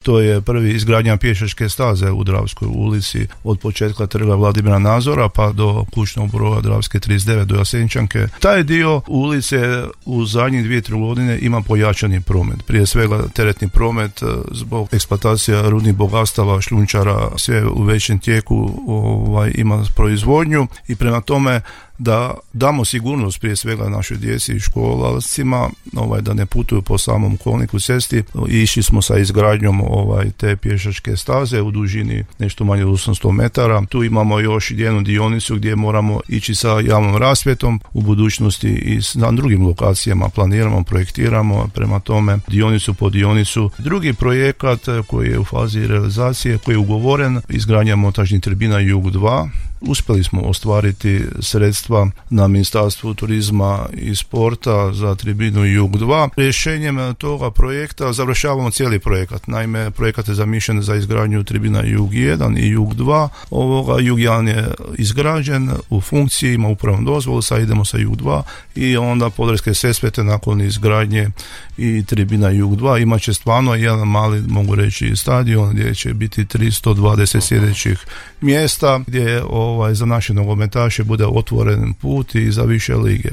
To je prvi izgradnja pješačke staze u Dravskoj ulici od početka Trga Vladimira Nazora pa do kućnog broja Dravske 39 do Jasenčanke. Taj dio ulice u zadnjih 2-3 godine ima pojačani promet. Prije svega teretni promet zbog eksploatacija rudnih bogatstava, šljunčara, sve u većem tijeku ima proizvodnju i prema tome da damo sigurnost prije svega našoj djeci i školalcima, da ne putuju po samom kolniku cesti. Išli smo sa izgradnjom te pješačke staze u dužini nešto manje od 800 metara. Tu imamo još jednu dionicu gdje moramo ići sa javnom rasvjetom u budućnosti i na drugim lokacijama planiramo, projektiramo, prema tome dionicu po dionicu. Drugi projekat koji je u fazi realizacije, koji je ugovoren, izgradnja montažnih tribina Jug 2. Uspjeli smo ostvariti sredstva na Ministarstvu turizma i sporta za tribinu Jug 2. Rješenjem toga projekta završavamo cijeli projekat. Naime, projekat je zamišljen za izgradnju tribina Jug 1 i Jug 2. Jug 1 je izgrađen u funkciji, ima upravnu dozvolu, sad idemo sa Jug 2 i onda Podravske Sesvete nakon izgradnje i tribina Jug 2 imat će stvarno jedan mali, mogu reći, stadion gdje će biti 320 sjedećih mjesta, gdje za naše nogometaše bude otvoren put i za više lige.